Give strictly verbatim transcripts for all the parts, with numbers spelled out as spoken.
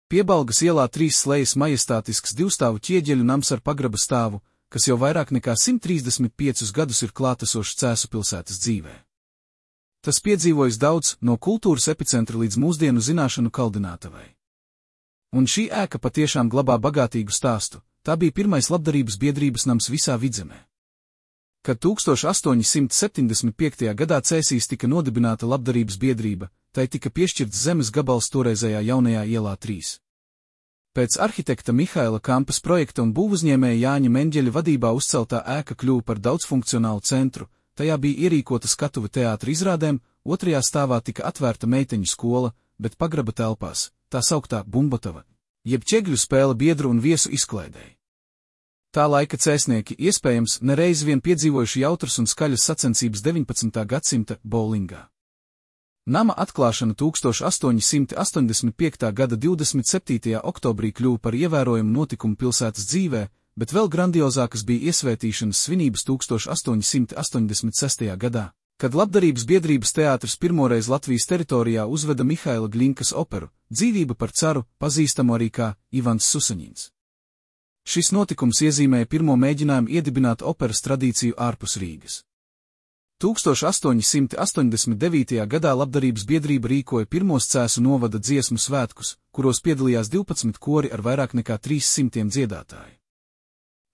Piebalgas ielā trīs slejas majestātisks divstāvu ķieģeļu nams ar pagraba stāvu, kas jau vairāk nekā simt trīsdesmit piecus gadus ir klātesošs Cēsu pilsētas dzīvē. Tas piedzīvojis daudz, no kultūras epicentra līdz mūsdienu zināšanu kaldinātavai. Un šī ēka patiešām glabā bagātīgu stāstu, tā bija pirmais labdarības biedrības nams visā Vidzemē. Kad tūkstoš astoņi simti septiņdesmit piektajā gadā Cēsīs tika nodibināta labdarības biedrība, tai tika piešķirts zemes gabals toreizējā jaunajā ielā trīs. Pēc arhitekta Mihaila Kampas projekta un būvuzņēmēja Jāņa Menģeļa vadībā uzceltā ēka kļuva par daudzfunkcionālu centru, tajā bija ierīkota skatuve teātra izrādēm, otrajā stāvā tika atvērta meiteņu skola, bet pagraba telpās, tā sauktā bumbotava, jeb ķegļu spēle biedru un viesu izklaidēji. Tā laika cēsnieki iespējams nereiz vien piedzīvojuši jautras un skaļas sacensības deviņpadsmitā gadsimta bowlingā. Nama atklāšana tūkstoš astoņi simti astoņdesmit piektā gada divdesmit septītajā oktobrī kļuva par ievērojumu notikumu pilsētas dzīvē, bet vēl grandiozākas bija iesvētīšanas svinības tūkstoš astoņi simti astoņdesmit sestajā gadā, kad labdarības biedrības teātris pirmoreiz Latvijas teritorijā uzveda Mihaila Gļinkas operu Dzīvība par caru, pazīstamu arī kā Ivans Susaņins. Šis notikums iezīmēja pirmo mēģinājumu iedibināt operas tradīciju ārpus Rīgas. tūkstoš astoņi simti astoņdesmit devītajā gadā labdarības biedrība rīkoja pirmos Cēsu novada dziesmu svētkus, kuros piedalījās divpadsmit kori ar vairāk nekā trīs simtiem dziedātāju.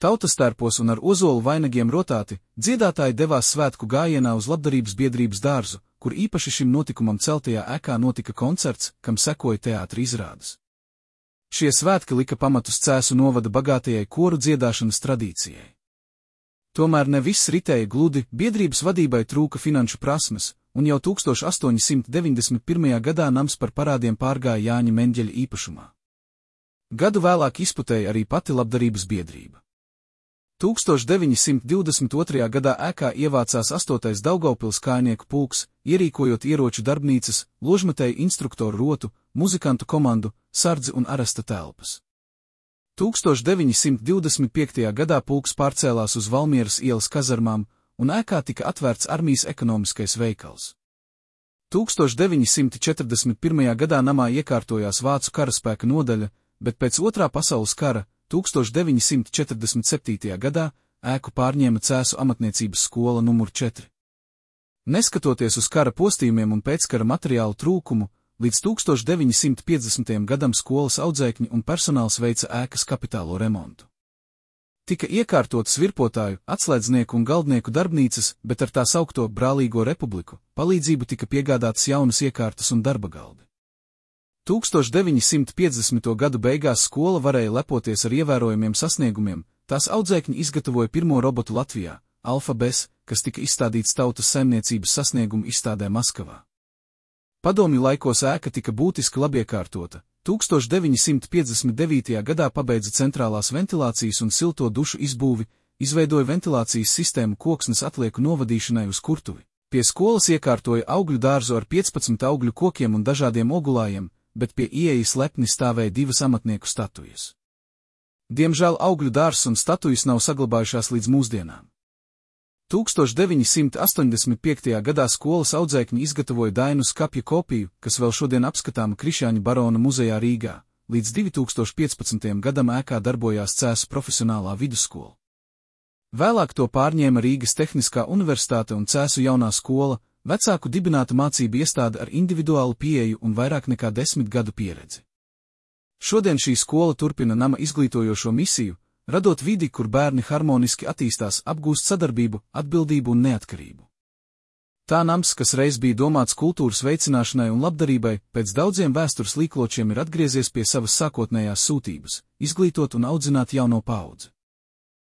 Tautastērpos un ar ozolu vainagiem rotāti, dziedātāji devās svētku gājienā uz labdarības biedrības dārzu, kur īpaši šim notikumam celtajā ēkā notika koncerts, kam sekoja teātra izrādes. Šie svētki lika pamatus Cēsu novada bagātajai koru dziedāšanas tradīcijai. Tomēr ne viss ritēja gludi, biedrības vadībai trūka finanšu prasmes, un jau tūkstoš astoņi simti deviņdesmit pirmajā gadā nams par parādiem pārgāja Jāņa Menģeļa īpašumā. Gadu vēlāk izputēja arī pati labdarības biedrība. tūkstoš deviņi simti divdesmit otrajā gadā ēkā ievācās astotais Daugavpils kājnieku pulks, ierīkojot ieroču darbnīcas, ložmetēju instruktoru rotu, muzikantu komandu, sardzi un aresta telpas. tūkstoš deviņi simti divdesmit piektajā gadā pulks pārcēlās uz Valmieras ielas kazarmām, un ēkā tika atvērts armijas ekonomiskais veikals. tūkstoš deviņi simti četrdesmit pirmajā gadā namā iekārtojās Vācu karaspēka nodaļa, bet pēc Otrā pasaules kara, tūkstoš deviņi simti četrdesmit septītajā gadā, ēku pārņēma Cēsu amatniecības skola numur četri. Neskatoties uz kara postījumiem un pēckara materiālu trūkumu, līdz tūkstoš deviņi simti piecdesmitajam gadam skolas audzēkņi un personāls veica ēkas kapitālo remontu. Tika iekārtotas virpotāju, atslēdznieku un galdnieku darbnīcas, bet ar tā saukto Brālīgo republiku palīdzību tika piegādātas jaunas iekārtas un darba galdi. tūkstoš deviņi simti piecdesmito gadu beigās skola varēja lepoties ar ievērojumiem sasniegumiem, tās audzēkņi izgatavoja pirmo robotu Latvijā, Alfa Bes, kas tika izstādīts tautas saimniecības sasniegumu izstādē Maskavā. Padomju laikos ēka tika būtiski labiekārtota, tūkstoš deviņi simti piecdesmit devītajā gadā pabeidza centrālās ventilācijas un silto dušu izbūvi, izveidoja ventilācijas sistēmu koksnes atlieku novadīšanai uz kurtuvi. Pie skolas iekārtoja augļu dārzu ar piecpadsmit augļu kokiem un dažādiem ogulājiem, bet pie ieejas lepni stāvēja divas amatnieku statujas. Diemžēl augļu dārzs un statujas nav saglabājušās līdz mūsdienām. tūkstoš deviņi simti astoņdesmit piektajā gadā skolas audzēkņi izgatavoja Dainu skapja kopiju, kas vēl šodien apskatāma Krišjāņa barona muzejā Rīgā, līdz divi tūkstoši piecpadsmitajam gadam ēkā darbojās Cēsu profesionālā vidusskola. Vēlāk to pārņēma Rīgas Tehniskā universitāte un Cēsu jaunā skola, vecāku dibināta mācību iestāde ar individuālu pieeju un vairāk nekā desmit gadu pieredzi. Šodien šī skola turpina nama izglītojošo misiju, radot vidi, kur bērni harmoniski attīstās, apgūst sadarbību, atbildību un neatkarību. Tā nams, kas reiz bija domāts kultūras veicināšanai un labdarībai, pēc daudziem vēstures līkločiem ir atgriezies pie savas sākotnējās sūtības – izglītot un audzināt jauno paudzi.